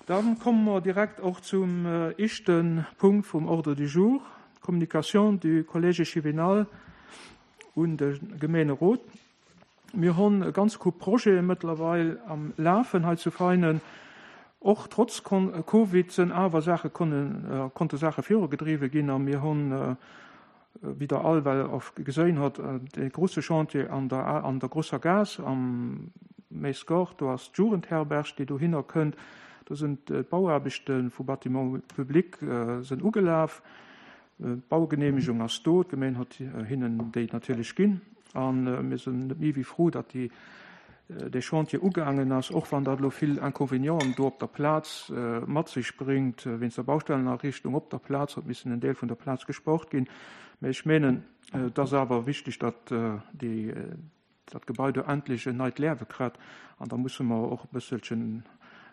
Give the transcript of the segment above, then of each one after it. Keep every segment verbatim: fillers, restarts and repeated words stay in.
Dann komme mer direkt och zum éischte Punkt vum Ordre du jour, d'Communication du Collège échevinal un de Gemeenerot. Mir hunn e ganz Koup Projete mëttlerweil am Lafen hei zu Veinen. Och trotz Covid sinn awer Saache konnen, konnte Saache virugedriwwe ginn a mir hunn, wéi Der all well och geséin hutt, dee grouse Chantier an der, an der Grosser Gaass am Méisgard, do ass d'Jugendherberg, déi dohinner kënnt. Do sinn d'Bauaarbechte vu Bâtiments publics sinn ugelaf. D'Baugeneemegung ass do, d'Gemeng huet hinnen déi natierlech ginn a mir sinn net méi wéi frou, datt déi, dee Chantier ugaangen ass, och wann dat elo vill Inconvénienten do op der Plaz mat sech bréngt, wéinst der Baustellenariichtung op der Plaz huet missen en Deel vun der Plaz gespart ginn. Mä ech menen, et ass awer wichteg, datt déi, dat Gebai do endlech en neit Liewe kritt an da musse mer och e bësselchen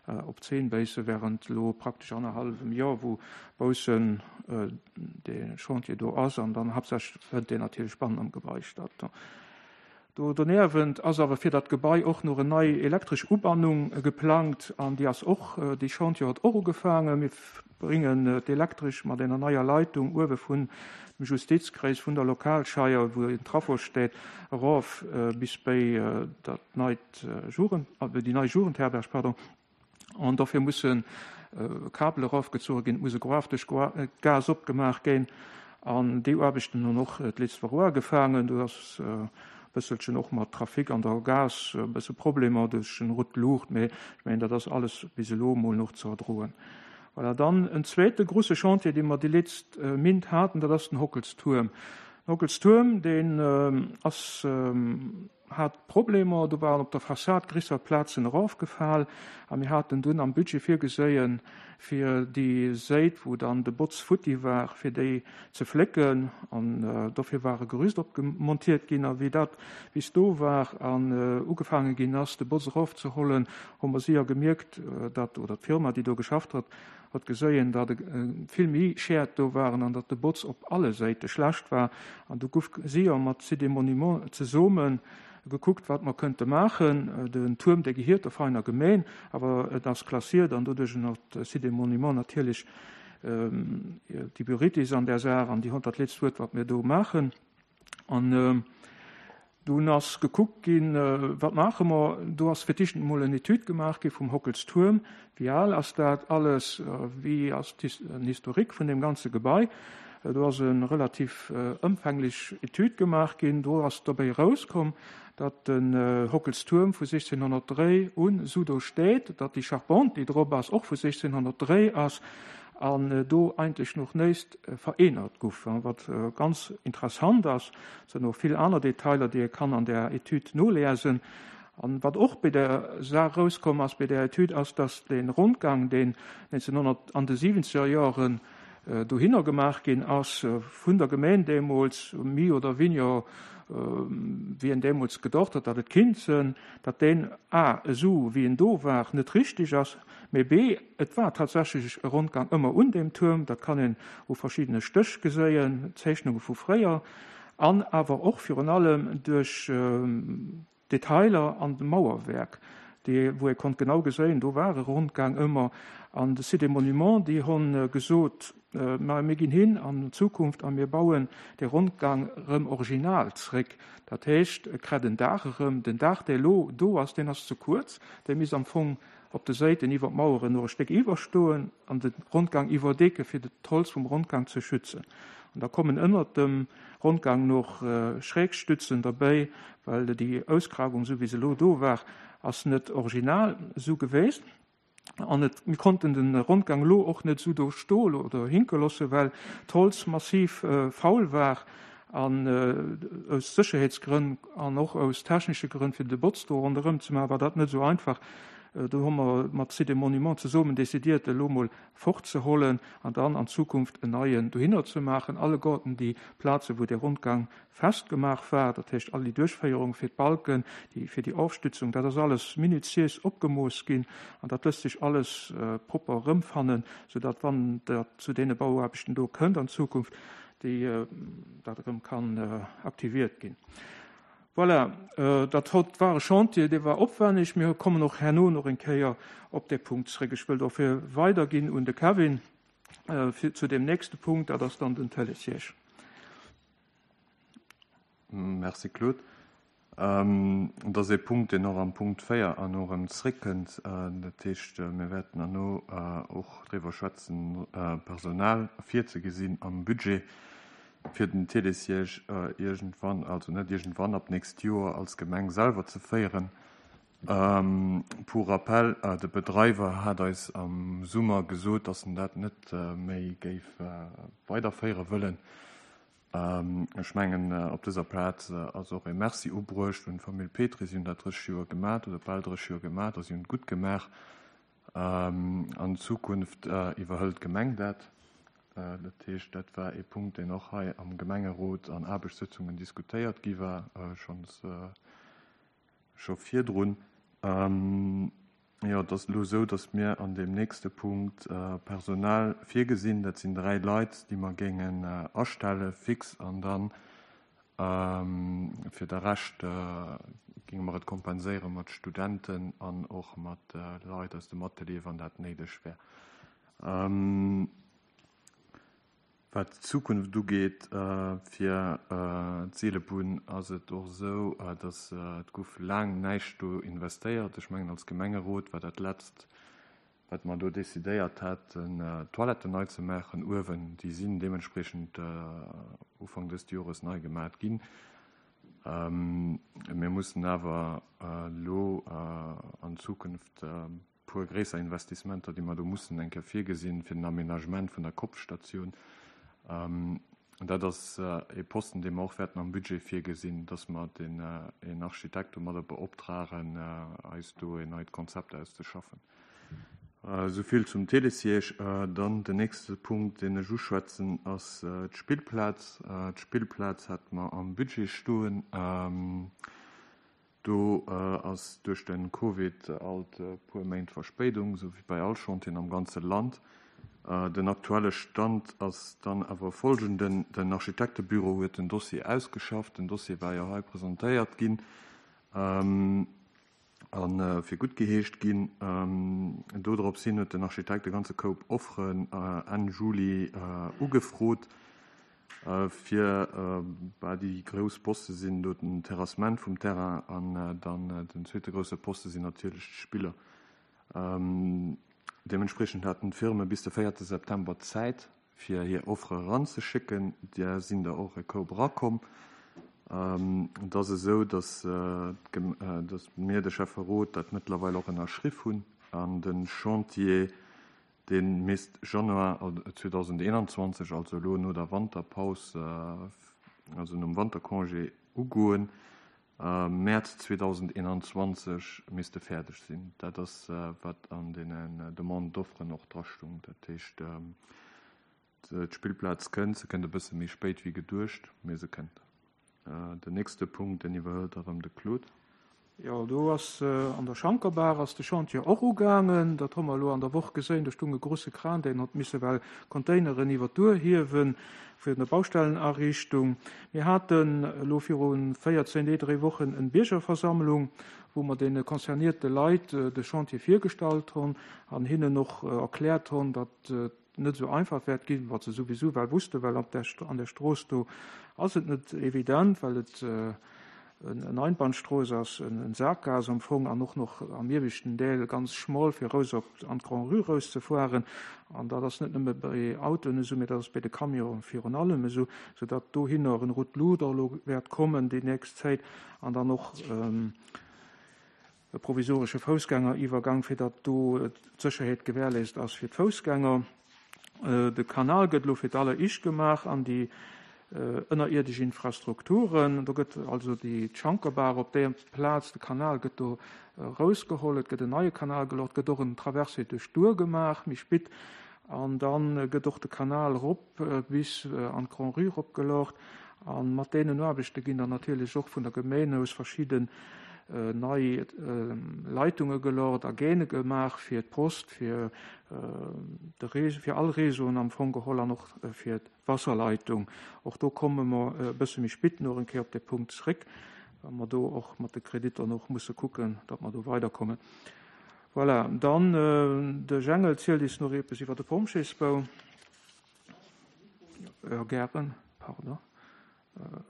op d'Zeen béisse während elo praktesch annerhallwem Joer, wou baussen dee Chantier do ass an dann haaptsächlech fënnt deen natierlech bannen am Gebai statt. Do doniewent ass awer fir dat Gebai och nach en nei elektresch Ubannung geplangt an déi ass och, dee Chantier huet och ugefaangen. Mir bréngen d'Elektresch mat enger neier Leitung uewe vun dem Justizkreis, vun der Lokalscheier, wou en Trafo steet, erof bis béi dat neit Jugend, déi nei Jugendherberg, pardon. An dofir musse Kabel erofgezoge ginn, et muss e Graff duerch d'Gaass opgemaach ginn. An déi Aarbechten hunn och d'letzt Woch uagefaangen. Do ass e bësselchen och mat Trafic an der Gaass e bësse Problemer duerch den rout Luucht, mee ech mengen, dat ass alles bis elo emol nach ze erdroen. Voilà, dann en zweete grouse Chantier, dee mer déi letzt Mint haten, dat ass den Hockelstuerm. Den Hockelstuerm, deen ass hat Problemer, do waren op der Fassad grisser Plazen erofgefal a mir haten dunn am Budget virgeséien, fir déi Séit, wou dann de Botz futti war, fir déi ze flécken an dofir war e Gerüst opgemontiert ginn. A wéi dat bis do war an ugefaange ginn ass, de Botz erofzehollen, hu mer séier gemierkt, datt, oder d'Firma, déi do geschafft huet, huet geséien, datt vill méi Schäed do waren an datt de Botz op alle Séite schlecht war. An du guff séier mat Sites et Monuments zesumme gekuckt, wat mer kënnte maachen. Den Tuerm, dee gehiert der Veiner Gemeen, awer et ass klassiert an doduerch huet Sites et Monuments natierlech déi Priorités an där Saach an déi hunn dat letzt Wuert, wat mir do maachen. An dunn ass gekuckt ginn, wat maache mer. Do ass fir d'éischt emol en Etüd gemaach gi vum Hockelstuerm. Wéi al ass dat alles? Wéi ass den Historique vun deem ganze Gebai? Do ass e relativ ëmfänglech Etüd gemaach ginn. Do ass dobäi erauskomm, datt den Hockelstuerm vu sechzénhonnertdréi un esou do steet, datt déi Charpente, déi drop ass, och vu sechzénhonnertdréi ass an do eigentlech noch néist verännert guff, wat ganz interessant ass. Et sinn och vill aner Detailer, déi ee kann an där Etüd noliesen. An wat och bei der Saach erauskomm ass, bei där Etüd, ass, datt dee Rondgang, deen neunzehnhundert an de siwenzeger Joren dohinner gemaach ginn ass, vun der Gemeen deemools, méi oder weniger wéi en deemools gedocht huet, datt et kinnt sinn, datt deen a esou wéi en do war net richtig ass, mee b et war tatsächlech e Rondgang ëmmer un deem Tuerm, dat kann een u verschiddene Stéch geséien, Zeechnunge vu fréier, an awer och virun allem duerch Detailer an dem Mauerwerk, déi, wou ee konnt genau geséien, do war e Rondgang ëmmer. An de Sites et Monuments, déi hunn gesot, Ma mir ginn hin an Zukunft a mir bauen dee Rondgang erëm original zréck. Dat heescht, e kritt en Daach erëm. Den Daach, dee elo do ass, deen ass ze kuerz. Dee misst am Fong op de Séiten iwwer d'Maueren nach e Stéck iwwerstoen an de Rondgang iwwerdecken, fir d'Holz vum Rondgang ze schützen. An da kommen ënnert dem Rondgang noch Schrägstützen derbäi, well déi Ausgrabung, esou wéi se elo do war, ass net original esou geweest. An et, mir konnten de Rondgang elo och net esou do stoe oder hinke loossen, well d'Holz massiv faul war an aus Sécherheetsgrënn an och aus technesche Grënn, fir de Botz do ronderëm ze maachen, war dat net esou einfach. Do hu mer mat Sites et Monuments zesummen décidiert, elo mol fortzehollen an dann an Zukunft en neien dohinner ze maachen. Alleguerten déi Plazen, wou dee Rondgang festgemaach war, dat heescht all déi Duerchféierung fir d'Balken, déi fir déi Ofstützung, dat ass alles minutiös opgemooss ginn an dat lësst sech alles propper erëmfannen, soudatt, wann dat zu deene Bauaarbechten do kënnt an Zukunft, déi dat erëm kann aktiviert ginn. Voilà, dat hott war e Chantier, dee war opwänneg. Mir kommen och herno nach eng Kéier op dee Punkt zréck. Ech wëll dofir weiderginn un de Kevin fir zu dem nächste Punkt, dat ass dann den Télésiège. Merci Claude. Dat ass ee Punkt, deen och am Punkt véier herno erëm zréckkënnt. Dat heescht, mir wäerten herno och driwwer schwätzen, Personal virzegesinn am Budget fir den Télésiège iergendwann, also net iergendwann, ab d'nächst Joer als Gemeng selwer ze féieren. Pour rappel, de Bedreiwer hat eis am Summer gesot, dass en dat net méi géif weiderféiere wëllen. Ech mengen, op dëser Plaz ass och e Merci ubruecht un d'Famill Petry. Si hunn dat drësseg Joer gemaach oder bal drësseg Joer gemaach a si hunn et gutt gemaach. An Zukunft iwwerhëlt d'Gemeng dat. Dat heescht, dat war ee Punkt, deen och hei am Gemengerot an Aarbechtssëtzungen diskutéiert gi war, schonns scho virdrun. Jo, et ass elo esou, datt mir an deem nächste Punkt Personal virgesinn. Dat sinn dräi Leit, déi mer géingen astelle fix an dann fir de Rescht géinge mer et kompenséiere mat Studenten an och mat Leit aus dem Atelier, wann dat néideg wär. Wat d'Zukunft ugeet fir d'Seelebunn, ass et och esou, datt et gouf laang näischt do investéiert. Ech mengen, als Gemengerot war dat Letzt, wat mer do decidéiert haten, d'Toiletten nei ze maachen uewen. Déi sinn deementspriechend Ufank dëst Jores nei gemaat ginn. Mir mussen awer elo an Zukunft puer gréisser Investissementer, déi mer do mussen eng Kéier virgesinn, fir den Aménagement vun der Kopfstatioun. Dat ass e Posten, dee mer och wäerten am Budget virgesinn, dass mer den een Architekt domadder beoptragen, eis do en neit Konzept auszeschaffen. Esou vill zum Télésiège. Dann den nächste Punkt, deen ech uschwätzen, ass d'Spillplaz. D'Spillplaz hat mer am Budget stoen. Do ass duerch de Covid alt e puer Méint Verspéidung, esou wéi bei all Chantieren am ganze Land. Den aktuelle Stand ass dann awer folgenden, Den Architektebüro huet den Dossier ausgeschafft. Den Dossier war jo hei presentéiert ginn a fir gutt geheescht ginn. Dodrops hin huet den Architekt e ganze Koup Offeren Enn Juli ugefrot, fir bah déi grouss Poste sinn do den Terrassement vum Terrain an dann den zweete grousse Poste sinn natierlech d'Spiller. Deementspriechend haten d'Firme bis de véierte September Zäit, fir hir Offere eranzeschécken. Där sinn der och e Koup erakomm. Et ass esou, datt mir, de Schäfferot, dat mëttlerweil och ënnerschriff hunn an de Chantier, dee misst Januar zweedausendeenanzwanzeg, also elo no der Wanterpaus, also nom Wantercongé ugoen. Mäerz zweedausendeenanzwanzeg misst e fäerdeg sinn. Dat ass, wat an deenen Demande d'offren och drastung. Dat heescht, d'Spillplaz kënnt, se kënnt e bësse méi spéit wéi geduecht, mee se kënnt. Den nächste Punkt, deen iwwerhëlt erëm de Claude. Jo, do ass an der Schankerbaach ass de Chantier och ugaangen. Dat hu mer elo an der Woch geséin. Do stung e grosse Kran, deen hott misse well Containeren iwwer d'Duer hiewen fir der Baustellenariichtung. Mir haten elo viru véierzéng Deeg, dréi Wochen en Biergerversammlung, wou mer deene concernierte Leit de Chantier virgestallt hunn an hinnen och erkläert hunn, datt et net esou einfach wäert ginn, wat se souwisou well wussten, well op der, an der Strooss do ass et net evident, well et en Einbahnstrooss ass, en Sackgaass am Fong an och noch am ieweschten Deel ganz schmoll, fir raus op an d'Grand-Rue rauszefueren. An dat ass net nëmme bei Autoen esou, mee dat ass bei de Camionen virun allem esou, soudatt dohinner en Route-Luder elo wäert kommen déi nächst Zäit an dann och e provisoresche Foussgängeriwwergang, fir datt do d'Sécherheet gewährleist ass fir d'Foussgänger. De Kanal gëtt elo fir d'alleréischt gemaach an déi ënnerierdesch Infrastrukturen. Do gëtt also déi Schankerbaach op där Plaz, de Kanal gëtt do rausgeholl, et gëtt en neie Kanal gelocht, gëtt och en Traversée duerch d'Our gemaach, méi spit, an dann gëtt och de Kanal rop bis an d'Grand-Rue ropgelocht. A mat deenen Aarbechte ginn dann natierlech och vun der Gemeng aus verschidden nei Leitunge gelocht a Gäne gemaach fir d'Post, fir de Réseau, fir all Réseauen am Fong geholl an och fir d'Wasserleitung. Och do komme mer e bësse méi spit nach eng Kéier op de Punkt zréck. Well mer do och mat de Kreditter och musse kucken, datt mer do weiderkommen. Voilà. Dann äh, de Jengel zielt eis nach eppes iwwer de Pompjeesbau. Ja, gären, pardon. Äh,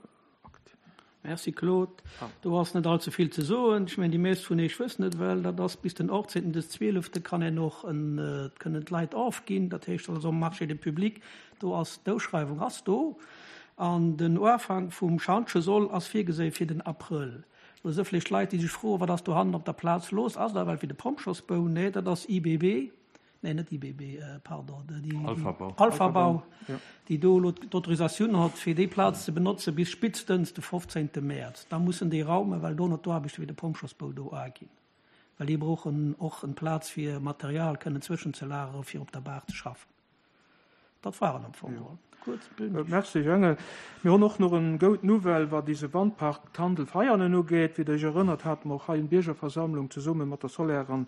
Merci Claude. Ah. Do ass net allze vill ze soen. Ech mengen déi meescht vun iech wëssen et well, dat ass bis den achtzéngten des zwielefte kann een nach en, äh, kënnen d'Leit ofginn. Dat heescht also um Marché de public, do ass d'Ausschreiwung ass do. An den Ufank vum Schantje soll ass virgesinn fir den Abrëll. Do si vläicht Leit, déi sech froen, wat ass do hannen op der Plaz lass? Ass dat well fir de Pompjeesbau? Nee, dat ass I B B. Nee, net I B B, äh, pardon, déi, Alphabau. Alphabau, Ja. déi do d'Autorisatioun huet, fir déi Plaz ze benotzen bis spéitstens de fofzéngte Mäerz. Da mussen déi raumen, well do nach d'Aarbechte fir de Pompjeesbau do ginn. Well déi brauchen och eng Plaz fir Material kënnen zwëschenzelageren, fir op der Baach ze schaffen. Dat war am Fong. Ja. Kuerz, Äh, Merci Jengel. Mir hunn och nach eng gutt Nouvelle, wat dëse Wandpark Tandel Veianen ugeet. Wéi dir iech erënnert, hate mer och hei eng Biergerversammlung zesumme mat der Soler an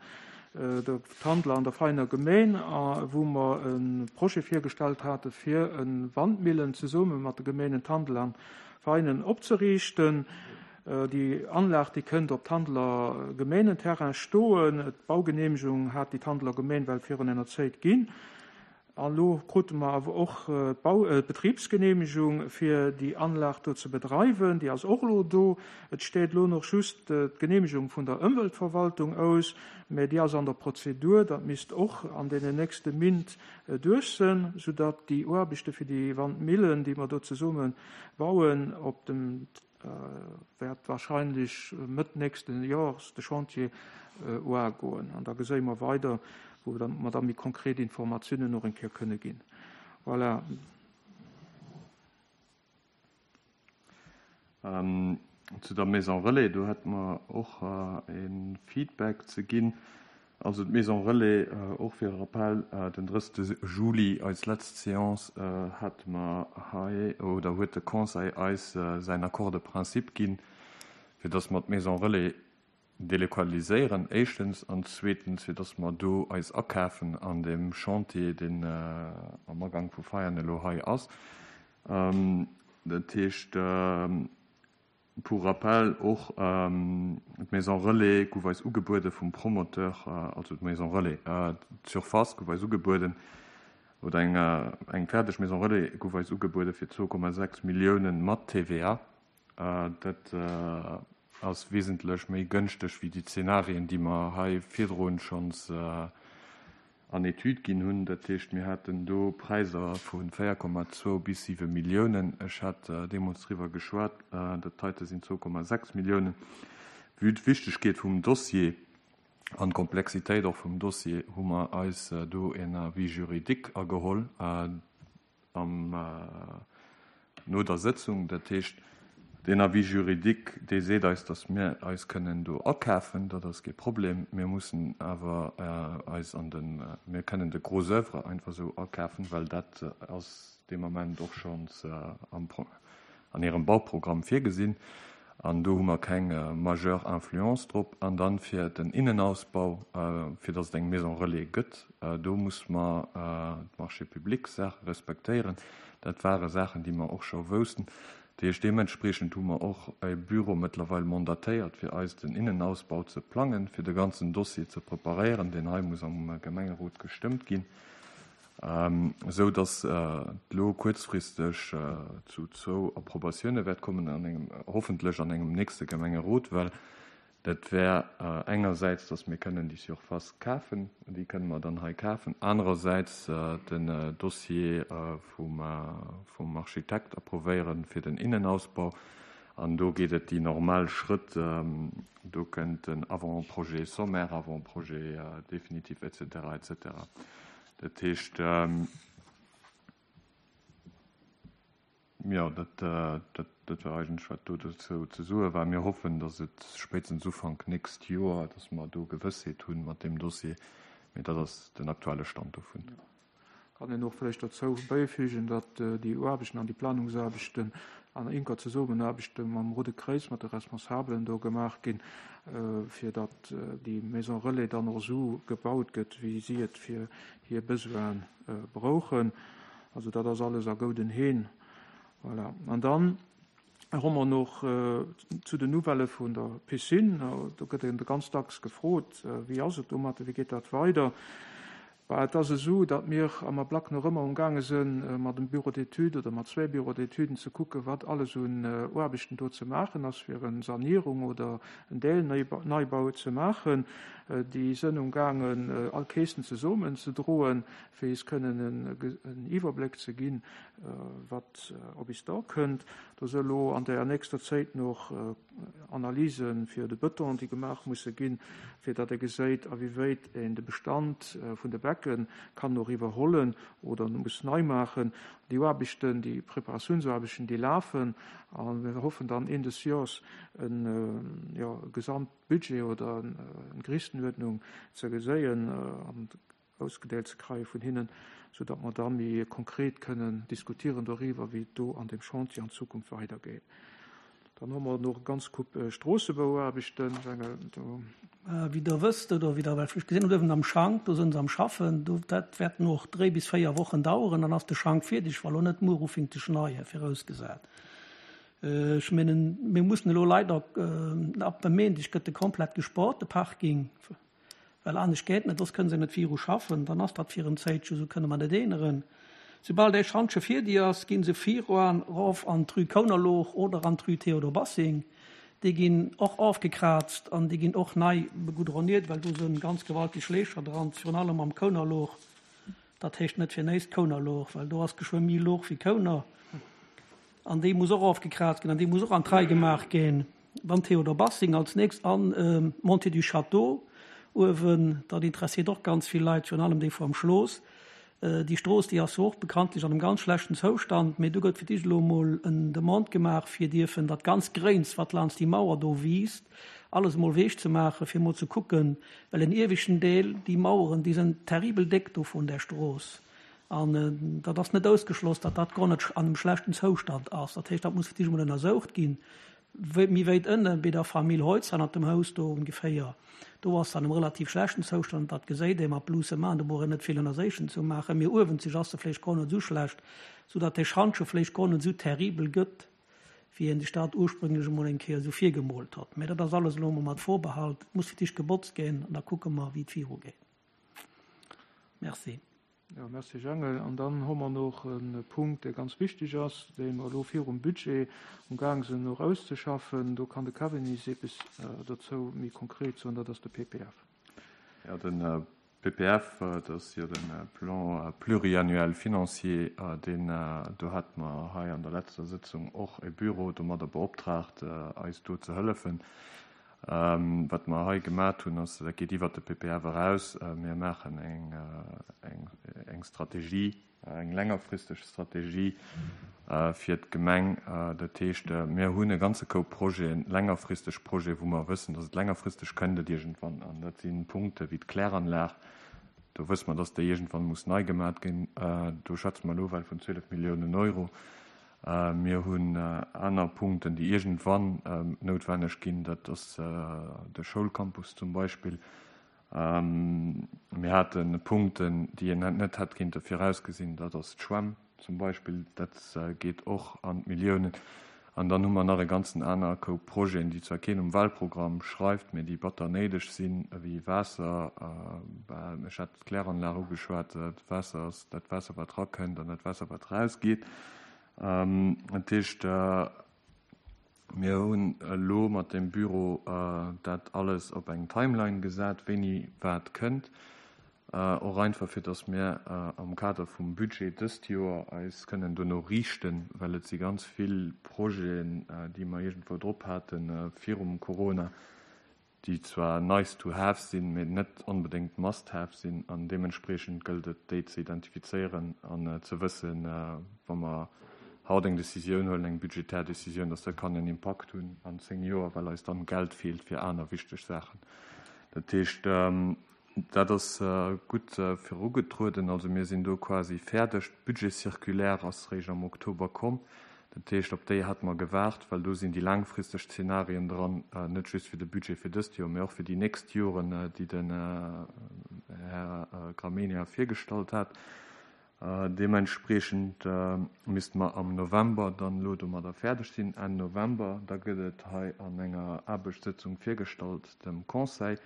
äh, der Tandeler an der Veiener Gemeng, äh, wou mer e Projet virgestallt hate fir eng Wandmillen zesumme mat de Gemengen Tandel an Veianen opzeriichten. Äh, Déi Anlag déi kënnt op Tandeler Gemengenterrain stoen. D'Baugeneemegung hat déi Tandeler Gemeng well virun enger Zäit ginn. An lo krute mer awer och äh, Bau äh, Betribsgeneemegung fir déi Anlag do ze bedreiwen, déi ass och lo do. Et steet lo nach just äh, d'Geneemegung vun der Ëmweltverwaltung aus, mä déi ass an der Prozedur, dat misst och an den nächste Méint äh, duerch sinn, soudatt déi Aarbechte fir déi Wandmillen, déi mer do zesumme bauen, op dem äh, wäert warscheinlech Mëtt nächsten Joers de Chantier äh, ugoen. An da gesi mer weider, wou dann mer da méi konkret Informatiounen nach eng Kéier kënne ginn. Voilà. Ähm, zu der Maison Relais, do hätte mer och äh, e Feedback ze ginn. Also d'Maison Relais äh, och fir Rappel äh, den drëssegste Juli als lescht Seance äh, hat mer hei oder huet de Conseil eis äh, säin Accord de principe ginn, fir datt mer d'Maison Relais delokaliséieren éischtens an zweetens fir datt mer do eis akafen an dem Chantier deen äh, am Agank vu Veianen elo hei ass. Ähm, dat heescht äh, pour rappel och ähm, d'Maison Relais gouf eis ugebuede vum Promoteur äh, also d'Maison Relais äh, d'Surface gouf eis ugebueden oder eng, äh, eng fäerdeg Maison Relais gouf eis ugebuede fir zwou Komma sechs Milliounen mat T V A. Äh, dat äh, ass wesentlech méi gënschteg wéi déi Zenarien, déi mer hei virdrun schonns äh, an Etüd ginn hunn. Dat heescht mir haten do Präisser vu véier Komma zwou bis siwe Milliounen. Ech hat äh, deemools driwwer geschwat, äh, dat heite sinn zwou Komma sechs Milliounen. Vue d'Wichtegkeet vum Dossier an d'Komplexitéit och vum Dossier hu mer eis äh, do en Avis juridique ageholl äh, am äh, no der Sëtzung. Dat heescht den Avis juridique dee seet eis, datt mir eis kënnen do akafen, dat ass kee Problem. Mir mussen awer äh, eis an den äh, mir kënnen de Gros œuvre einfach sou akafen, well dat äh, ass de Moment och schonns äh, am Pro an hirem Bauprogramm virgesinn. An do hu mer keng äh, majeure Influence drop an dann fir den Innenausbau äh, fir datt et eng Maison Relais gëtt äh, do muss mer äh, d'Marché public Saache respektéieren. Dat ware Saachen, déi mer och scho woussten. Deementspriechend hu mer och e Büro mëttlerweil mandatéiert fir eis den Innenausbau ze plangen, fir de ganzen Dossier ze preparéieren, deen hei muss am Gemengerot gestëmmt ginn. Ähm, sou datt äh, lo kuerzfristeg äh, zu zwou Approbatioune wäert kommen an engem hoffentlech an engem nächste Gemengerot, well dat wär äh, engersäits, datt mir kënnen déi Surface kafen, déi kënne mer dann hei kafen, anerersäits äh, den äh, Dossier äh, vum, äh, vum Architekt approuvéieren fir den Innenausbau. An do geet et déi normal Schrëtt ähm, do kënnt den Avant-projet sommaire, Avant-projet äh, définitif et cetera et cetera. Dat heescht ähm, ja dat, äh, dat, dat war eigentlech wat do dozou ze soe war. Mir hoffen, datt et spéitstens Ufank nächst Joer, datt mer do Gewëssheet hunn mat deem Dossier, mä dat ass den aktuelle Stand dovun. Kann een och vläicht dozou bäifügen, datt äh, déi Aarbechten an déi Planungsaarbechten an enker Zesummenaarbecht mam Roude Kräiz mat de Responsabelen do gemaach ginn, äh, fir datt äh, déi Maison Relais dann och sou gebaut gëtt, wéi si et fir hir Besoine äh, brauchen. Also dat ass alles a gudden Hänn. Voilà. An dann Hu mer nach zu den Nouvellë vun der Piscine. Do gëtt een ganz dacks gefrot, wéi ass et domat, wéi geet dat weider? Well et ass esou, datt mir am Ablack nach ëmmer umgaange sinn, mat dem Bureau d'études oder mat zwee Bureaux d'études ze kucken, wat alles un Aarbechten do ze maachen ass, fir eng Sanéierung oder en Deelneibau ze maachen. Déi sinn umgaangen, all Keesen zesummen ze droen, fir eis kënnen en Iwwerbléck ze ginn, wat op eis da kënnt. Do si lo an der nächster Zäit nach Analyse fir de Bëton, déi gemaach musse ginn, fir datt ee gesäit, a wéi wäit een de Bestand vun de Becken kann nach iwwerhollen oder muss nei maachen. Déi Aarbechten, déi Preparatiounsaarbechten, déi lafen a mir hoffen dann Enn des Joers en, ja, Gesamtbudget oder eng Gréisstenuerdnung ze geséien an ausgedeelt ze kréie vun hinnen, soudatt mer da méi konkret kënnen diskutieren doriwwer, wéi et do an deem Chantier an Zukunft weidergeet. Dann hu mer nach ganz Koup Stroossebauaarbechten. Wéi Der wësst oder wéi Der vläicht gesinn hutt, uewen am Schank, do sinn se am Schaffen. Do, dat wäert nach dräi bis véier Wochen daueren, dann ass de Schank fierdeg, wa lo net muer ufänkt ze schneien, virausgesat. Ech mengen, mir mussen elo leider, ab dem Méindeg gëtt de komplett gespaart, de Parking, well anescht geet net, soss kënne se net viru schaffen. Dann ass dat fir en Zäitche, esou kënne mer net änneren. Soubal dee Schantje fierdeg ass, gi se viruan erof an d'Rue Kounerlooch oder an d'Rue Théodore Bassing. Déi ginn och ofgekraazt an déi ginn och nei begoudroniert, well do sinn ganz gewaltig Lécher dran, virun allem am Kounerlooch. Dat heescht net fir näischt Kounerlooch, well do ass geschwë méi Looch wéi Kouner. An déi muss och ofgekraazt ginn an déi muss och an d'Rei gemaach ginn. Dann Théodore Bassing als nächst an Montée du Château uewen, dat interessiert och ganz vill Leit, virun allem déi vum Schloss. Déi Strooss, déi ass jo och bekanntlech an engem ganz schlechten Zoustand, mee do gëtt fir d'éischt elo emol en Demande gemaach, fir dierfen dat ganz Gréins, wat laanscht déi Mauer do wiisst, alles emol wech ze maachen, fir emol ze kucken, well en ieweschten Deel, déi Maueren, déi sinn terribel déck do vun där Strooss. An dat ass net ausgeschloss, datt dat guer net an engem schlechten Zoustand ass. Dat heescht, dat muss fir d'éischt emol ënnersoucht ginn. Méi wéit ënne bei der Famill Heutz hannert dem Haus do ongeféier, do ass se an engem relativ schlechten Zoustand, dat geséit ee mat bloussem Aen, do brauch een net vill Ënnerséichen ze maachen. Mee uewenzeg ass se vläicht guer net esou schlecht, soudatt dee Schantje vläicht guer net esou terribel gëtt, wéi een sech dat ursprünglech emol eng Kéier esou virgemoolt hott. Mee dat ass alles elo emol mat Vorbehalt, et muss fir d'éischt gebotzt ginn an da kucke mer, wéi et virugeet. Merci. Jo, merci Jangel. An dann hu mer nach e Punkt, dee ganz wichteg ass, dee mer elo virum Budget umgaang sinn nach auszeschaffen. Do kann de Kevin eis eppes dozou méi konkret soen, dat ass de P P F. Jo, de P P F, dat ass jo de Plan pluriannuel financier, deen do hate mer hei an der leschter Sëtzung och e Büro domadder beoptraagt, eis do ze hëllefen. Wat mer hei gemaach hunn, ass, dat geet iwwer de P P F eraus. Mir maachen eng, eng, eng Strategie, eng längerfristeg Strategie fir d'Gemeng. Dat heescht, mir hunn e ganze Koup Projeten, längerfristeg Projeten, wou mer wëssen, datt et längerfristeg kënnt et iergendwann. An dat si Punkte wéi d'Kläranlag. Do wësse mer, datt déi iergendwann muss nei gemaach ginn. Do schwätze mer elo well vun zwielef Milliounen Euro. Mir hunn aner Punkten, déi iergendwann noutwenneg ginn. Dat ass de Schoulcampus zum Beispill. Mir hate Punkten, déi een net hätt kinnte virausgesinn. Dat ass d'Schwämm zum Beispill. Dat geet och an d'Milliounen. An dann hu mer nach e ganzen aner Koup Projeten, déi zwar keen um Wahlprogramm schreift, mee déi batter néideg sinn, wéi Waasser, ech hat d'Kläranlag ugeschwat, d'Waasser ass dat Waasser, wat erakënnt, an dat Waasser, wat erausgeet. Dat heescht, mir hunn elo mat dem Büro dat alles op eng Timeline gesat, wéini wat kënnt, och einfach fir datt mir am Kader vum Budget dëst Joer eis kënnen dono riichten, well et si ganz vill Projeten, déi mer iergendwou drop hate virum Corona, déi zwar nice to have sinn, mee net onbedéngt must have sinn. An deementspriechend gëllt et, déi ze identifizéieren an ze wëssen, wa mer haut eng Decisioun huelen, eng budgetär Decisioun, datt dat kann en Impakt hunn an zéng Joer, well eis dann Geld feelt fir aner wichteg Saachen. Dat heescht, dat ass gutt virugetrueden. Also mir sinn do quasi fäerdeg. D'Budget-Circulaire ass réischt am Oktober komm. Dat heescht, op déi hate mer gewaart, well do sinn déi laangfristeg Zenarien dran, net just fir de Budget fir dëst Joer, mee och fir déi nächst Joren, déi den Här Gramegna virgestallt hat. Deementspriechend misste mer am November dann elo domadder fäerdeg sinn, Enn November. Da gëtt et hei an enger Aarbechtssëtzung virgestallt dem Conseil.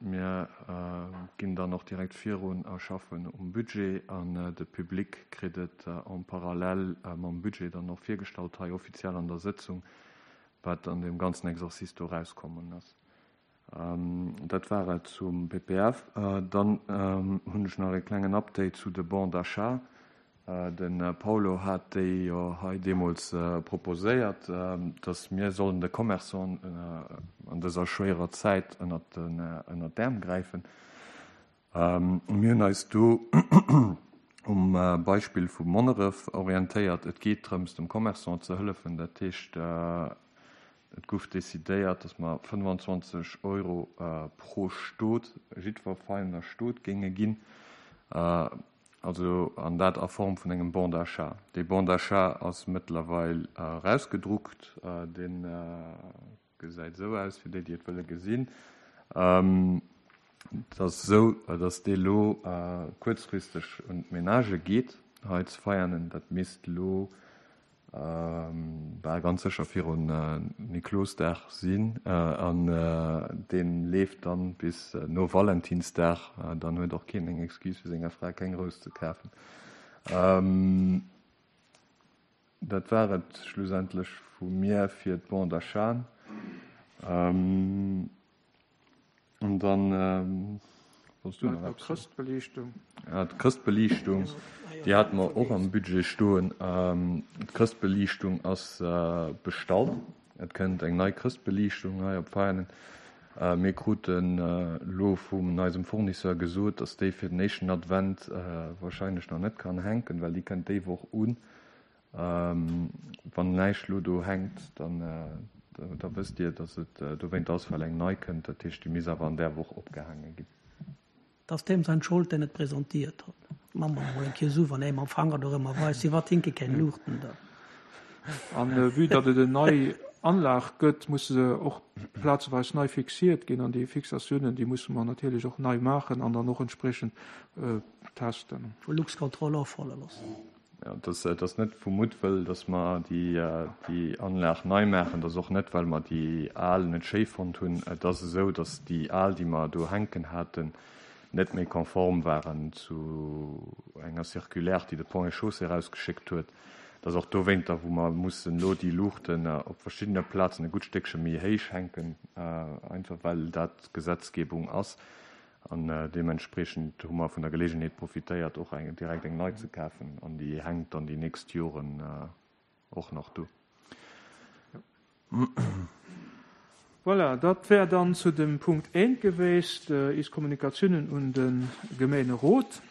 Mir ginn dann och direkt virun a schaffen um Budget an de Public kritt et en parallèle mam Budget dann och virgestallt hei offiziell an der Sëtzung, wat an deem ganzen Exercice do erauskommen ass. Dat war et zum P P F. Dann hunn ech nach e klengen Update zu de Bons d'achat. De Paulo hat déi jo hei deemools proposéiert, dass mir sollen de Commerçanten an dëser schwéierer Zäit ënnert den, ënnert d'Äerm gräifen. Mir hunn eis do um Beispill vu Monneref orientéiert. Et geet drëms, dem Commerçant ze hëllefen. Dat heescht, et gouf decidéiert, dass mer fënnefanzwanzeg Euro pro Stot, jiddwer feiner Stot géinge ginn. Also an dat a Form vun engem Bon d'achat. Dee Bon d'achat ass mëttlerweil rausgedruckt. Deen gesäit esou aus, fir déi, déi et wëlle gesinn. Et ass esou, dass dee lo kuerzfristeg un d'Menage geet, hei ze Veianen. Dat misst lo bal ganz sécher virun Niklosdag sinn. An dee leeft dann bis no Valentinsdag. Dann huet och keen eng Excuse, fir senger Fra keng Rous ze kafen. Dat war et schlussendlech vu mir fir d'Bon d'achat. An dann wolltest du nach Ja, etwas? Chrëschtbeliichtung. Ja, d'Chrëschtbeliichtung, déi hate mer och am Budget stoen. D'Chrëschtbeliichtung ass bestallt. Et kënnt eng nei Chrëschtbeliichtung hei op Veianen. Mir kruten elo vun eisem Fournisseur gesot, dass déi fir den éischten Advent wahrscheinlech nach net kann hänken, well déi kënnt déi Woch un. Wann näischt elo do hänkt, dann da wësst Dir, dass et dowéint ass, well eng nei kënnt. Dat heescht, déi misst awer an där Woch opgehaange ginn. Dass dem sein Schuld, den et präsentiert hat. Mama mol eng Kéier so, wann er am Fanger doch immer weiß, sie war tinke kein Luchten da. An, äh, vue datt et eng nei Anlag gëtt, muss se och plazeweis nei fixiert ginn an déi Fixatiounen, déi musse mer natierlech och nei maachen an dann och entsprechend, äh, testen. Vu Luxcontrol offalle loossen. Ja, das, das ass net vu Muttwëll, dass mer déi, äh, déi Anlag nei maachen, das ass och net, well mer déi al net schéi fonnt hunn. Et ass esou, dass déi al, déi mer do hänken haten, net méi konform waren zu enger Circulaire, déi de Pont et Chaussée rausgeschéckt huet. Dat ass och dowéinter, wou mer mussen lo déi Luuchten, äh, op verschiddene Plazen e gutt Stéckche méi héich hänken, äh, einfach well dat Gesetzgebung ass. An, äh, deementsprechend hu mer vun der Gelegenheet profitéiert, och eng, direkt eng nei ze kafen. An déi hänkt dann déi nächst Joren, äh, och nach do. Voilà, dat wär dann zu dem Punkt eent gewiescht, äh, is Kommunikationen un den Gemeinderat.